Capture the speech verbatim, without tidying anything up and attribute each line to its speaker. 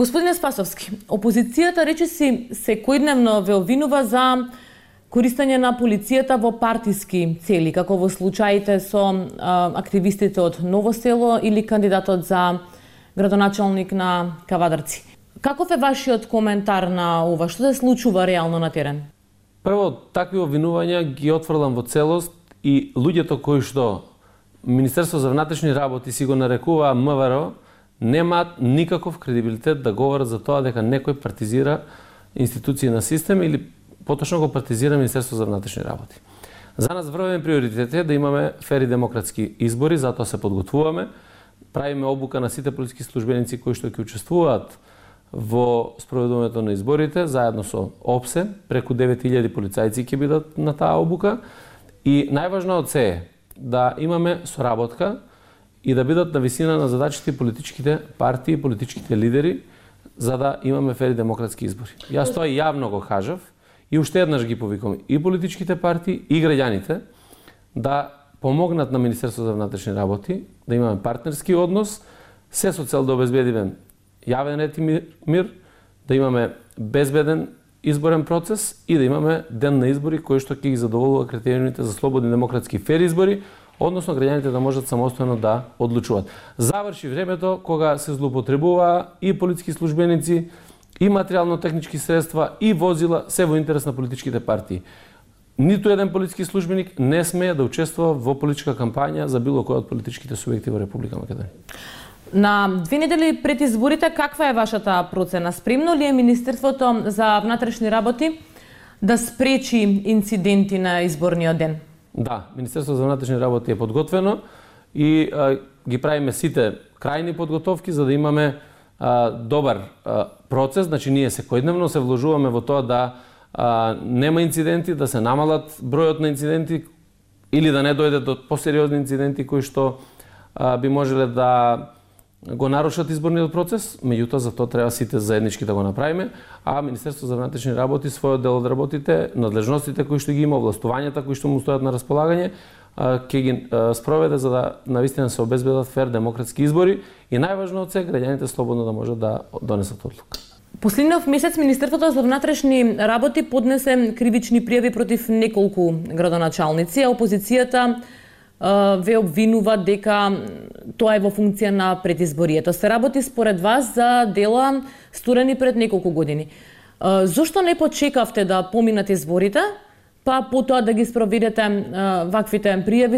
Speaker 1: Господине Спасовски, опозицијата речиси секојдневно ве обвинува за користење на полицијата во партиски цели, како во случаите со а, активистите од Ново село или кандидатот за градоначалник на Кавадарци. Каков е вашиот коментар на ова? Што се случува реално на терен?
Speaker 2: Прво, такви обвинувања ги отфрлам во целост и луѓето кои што Министерство за внатрешни работи си го нарекува МВР немаат никаков кредибилитет да говорат за тоа дека некој партизира институции на систем или поточно го партизира Министерство за внатрешни работи. За нас врвен приоритет е да имаме фери демократски избори, затоа се подготвуваме, правиме обука на сите полициски службеници кои што ќе учествуваат во спроведувањето на изборите, заедно со ОПСЕ, преку девет илјади полицајци ќе бидат на таа обука и најважно од се е да имаме соработка и да бидат на висина на задачите политичките партии, политичките лидери, за да имаме фери демократски избори. Јас тоа јавно го кажав и уште еднаш ги повикам и политичките партии и граѓаните да помогнат на Министерство за внатрешни работи, да имаме партнерски однос, се со цел да обезбедиме јавен ред и мир, да имаме безбеден изборен процес и да имаме ден на избори кој што ќе ги задоволува критериумите за слободни демократски фер избори, односно граѓаните да можат самостојно да одлучуваат. Заврши времето кога се злоупотребува и полициски службеници, и материјално-технички средства, и возила, се во интерес на политичките партии. Ниту еден политички службеник не смее да учествува во политичка кампања за било кој од политичките субјекти во Република Македонија.
Speaker 1: На две недели пред изборите, каква е вашата процена? Спремно ли е Министерството за внатрешни работи да спречи инциденти на изборниот ден?
Speaker 2: Да, Министерството за внатрешни работи е подготвено и а, ги правиме сите крајни подготовки за да имаме а, добар а, процес. Значи ние секојдневно се вложуваме во тоа да а, нема инциденти, да се намалат бројот на инциденти или да не дојде до посериозни инциденти кои што а, би можеле да го нарушат изборниот процес, меѓутоа за тоа треба сите заеднички да го направиме, а Министерството за внатрешни работи својот дел од работите, надлежностите кои што ги има, овластувањата кои што му стојат на располагање, ќе ги спроведе за да навистина се обезбедат фер демократски избори и најважно од се граѓаните слободно да можат да донесат одлука.
Speaker 1: Последниот месец Министерството за внатрешни работи поднесе кривични пријави против неколку градоначалници, а опозицијата ве обвинува дека тоа е во функција на предизборието. Се работи според вас за дела сторени пред неколку години. Зошто не почекавте да поминат изборите, па потоа да ги спроведете ваквите пријави